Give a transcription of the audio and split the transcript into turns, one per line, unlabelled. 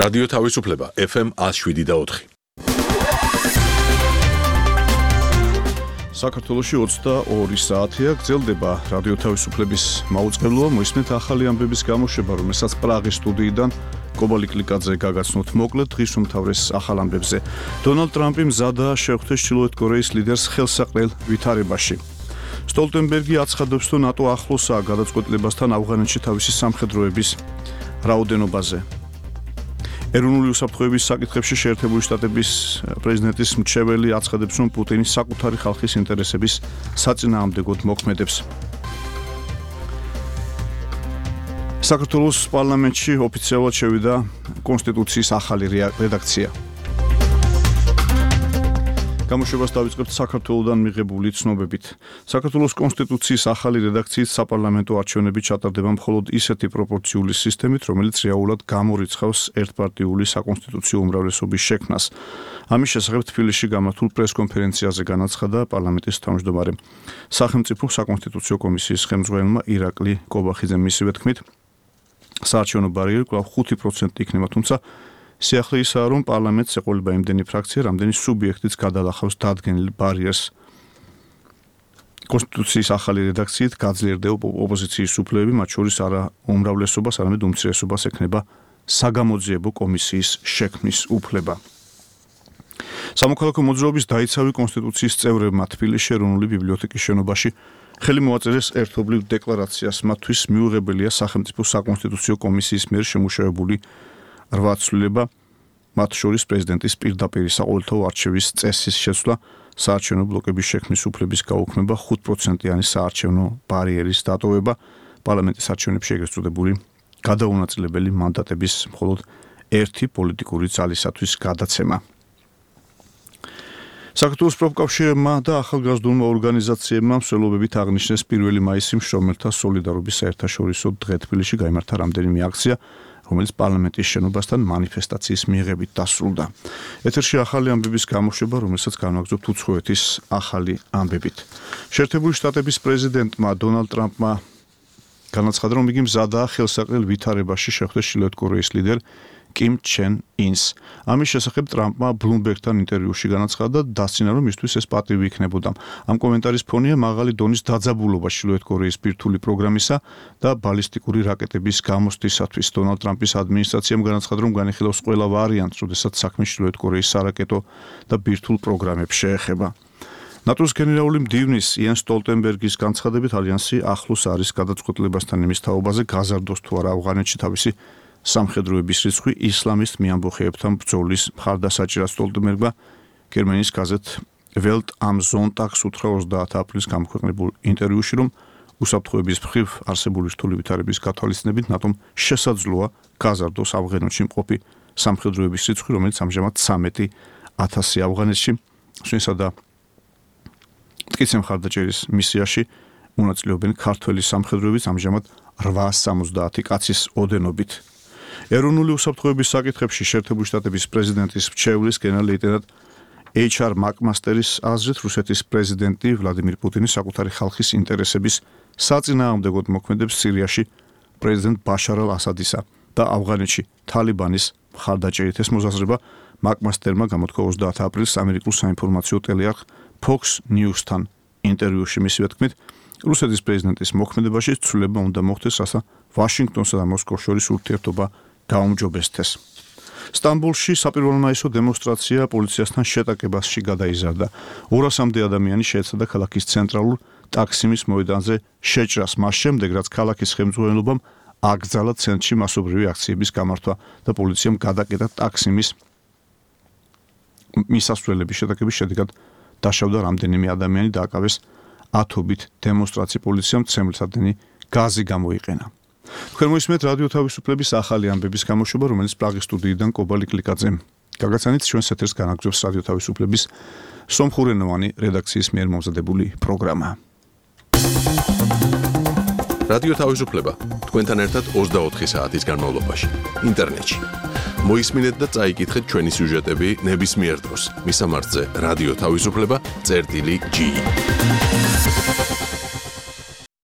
რადიო თავისუფლება FM 107.4.
საქართველოში 22 საათია გრძელდება რადიო თავისუფლების მაუწყებლობა. მოისმენთ ახალი ამბების გამოშვება, რომელსაც პრაღის სტუდიიდან კობალი კლიკაძე გაგაცნოთ. მოკლედ დღის უმთავრეს ახალ ამბებზე. დონალდ ტრამპი მზადაა შეხვდეს ჩრდილოეთ კორეის ლიდერს ხელსაყრელ ვითარებაში. სტოლტენბერგი აცხადებს, რომ ნატო ახლოსაა გადაწყვეტილებასთან ავღანეთში თავისი სამხედროების რაოდენობაზე. ეროვნული უსაფრთხოების საკითხებში შეერთებული შტატების პრეზიდენტის მრჩეველი აცხადებს, რომ პუტინი საკუთარი ხალხის ინტერესების საწინააღმდეგოდ მოქმედებს. საქართველოს პარლამენტში ოფიციალურად შევიდა კონსტიტუციის ახალი რედაქცია. გამოშვებას დავიწყებთ საქართველოდან მიღებული ცნობებით. საქართველოს კონსტიტუციის ახალი რედაქციით საპარლამენტო არჩევნები ჩატარდება მხოლოდ ისეთი პროპორციული სისტემით, რომელიც რეალურად გამორიცხავს ერთპარტიული საკონსტიტუციო უმრავლესობის შექმნას. ამის შესახებ თბილისში გამართულ პრესკონფერენციაზე განაცხადა პარლამენტის თავმჯდომარე. სახელმწიფო საკონსტიტუციო კომისიის ხელმძღვანელმა ირაკლი კობახიძემ მისივე თქმით, საარჩევნო ბარიერი კვლავ 5% იქნება, თუმცა სიახლე ისაა, რომ პარლამენტს ეყოლება იმდენი ფრაქცია, რამდენი სუბიექტიც გადალახავს დადგენილ ბარიერს. კონსტიტუციის ახალი რედაქციით გაძლიერდება ოპოზიციის უფლებები, მათ შორის არა უმრავლესობას, არამედ უმცირესობას ექნება საგამოძიებო კომისიის შექმნის უფლება. სამოქალაქო მოძრაობის დაიცავი კონსტიტუციის წევრებმა თბილისში ეროვნული ბიბლიოთეკის შენობაში ხელი მოაწერეს ერთობლივ დეკლარაციას. მათთვის მიუღებელია სახელმწიფო საკონსტიტუციო კომისიის მიერ შემუშავებული 8 ცვლილება, მათ შორის პრეზიდენტის პირდაპირ საყოველთაო არჩევის წესის შეცვლა, საარჩევნო ბლოკების შექმნის უფლების გაუქმება, 5%-იანი საარჩევნო ბარიერის დატოვება, პარლამენტის არჩევნებში ეგრეთ წოდებული გადაუნაწილებელი მანდატების მხოლოდ ერთი პოლიტიკური ძალისათვის გადაცემა. საქართველოს პროფკავშირებმა და ახალგაზრდულმა ორგანიზაციებმა მსვლელობებით აღნიშნეს 1 მაისი მშრომელთა სოლიდარობის საერთაშორისო დღე. თბილისში გაიმართა რამდენიმე აქცია, რომელიც პარლამენტის შენობასთან მანიფესტაციის მიღებით დასრულდა. ეთერში ახალი ამბების გამოშვება, რომელსაც განვაგრძობთ უცხოეთის ახალი ამბებით. შეერთებული შტატების პრეზიდენტმა დონალდ ტრამპმა განაცხადა, რომ იგი მზადაა ხელსაყრელ ვითარებაში შეხვდეს ჩრდილოეთ კორეის ლიდერ კიმ ჩენ ინს. ამის შესახებ ტრამპმა ბლუმბერგთან ინტერვიუში განაცხადა, დასცინა, რომ მისთვის ეს პატივი იქნებოდა. ამ კომენტარის ფონია მაღალი დონის დაძაბულობა ჩრდილოეთ კორეის ბირთვული პროგრამისა და ბალისტიკური რაკეტების გამოსვლისათვის. დონალდ ტრამპის ადმინისტრაციამ განაცხადა, რომ განიხილავს ყველა ვარიანტს, როდესაც საქმე ჩრდილოეთ კორეის სარაკეტო და ბირთვულ პროგრამებს შეეხება. ნატოს გენერალური მდივნის იენს სტოლტენბერგის განცხადებით, ალიანსი ახლოს არის გადაწყვეტილებასთან იმის თაობაზე, გაზარდოს თუ არა ავღანეთში თავისი სამხედროების რიცხვი ისლამისტ მიამბოხეებთან ბრძოლის მხარდასაჭერად. სტოლტენბერგმა გერმანიის გაზეთ Welt am Sonntag უთხრა 30 აპრილს გამოქვეყნებულ ინტერვიუში, რომ უსაფრთხოების მხრივ არსებული რთული ვითარების გათვალისწინებით ნატომ შესაძლოა გაზარდოს ავღანეთში მყოფი სამხედროების რიცხვი, რომელიც ამჟამად 13,000 ავღანეთში. სვინსა და მტკიცე მხარდაჭერის მისიაში მონაწილეობენ ქართველი სამხედროების ამჟამად 870 კაცის ოდენობით. ეროვნული უსაფრთხოების საკითხებში შეერთებული შტატების პრეზიდენტის მრჩეველის გენერალ-ლეიტენანტ HR მაკმასტერის აზრით, რუსეთის პრეზიდენტი ვლადიმირ პუტინი საკუთარი ხალხის ინტერესების საწინააღმდეგოდ მოქმედებს სირიაში პრეზიდენტ ბაშარ ალ-ასადისა და ავღანეთში თალიბანის მხარდაჭერით. ეს მოსაზრება მაკმასტერმა გამოთქვა 30 აპრილს ამერიკულ საინფორმაციო ტელეარხ Fox News-თან ინტერვიუში. მისივე თქმით, რუსეთის პრეზიდენტის მოქმედებაში ცვლილება უნდა მოხდეს, რათა ვაშინგტონსა და მოსკოვს შორის ურთიერთობა გაუმჯობესდეს. სტამბოლში საპირველომაისო დემონსტრაცია პოლიციასთან შეტაკებაში გადაიზარდა. 200-მდე ადამიანი შეეცადა ქალაქის ცენტრალურ ტაქსიმის მოედანზე შეჭრას, მას შემდეგ, რაც ქალაქის ხელმძღვანელობამ აკრძალა ცენტრში მასობრივი აქციების გამართვა და პოლიციამ გადაკეტა ტაქსიმის მისასვლელების შეტაკების შედეგად დაშავდა რამდენიმე ადამიანი და აკავეს ათობით დემონსტრაცია. პოლიციამ ცემლსადენი გაზი გამოიყენა. თქვენ მოისმენთ რადიო თავისუფლების ახალი ამბების გამოშვება, რომელიც პრაღის სტუდიიდან კობალი კლიკაძემ გაგაცანით. ჩვენს ეთერს განაგრძობს რადიო თავისუფლების სომხურენოვანი რედაქციის მიერ მომზადებული პროგრამა.
რადიო თავისუფლება თქვენთან ერთად 24 საათის განმავლობაში ინტერნეტში. მოისმინეთ და წაიკითხეთ ჩვენი სიუჟეტები ნებისმიერ დროს. მისამართზე რადიო თავისუფლება.gi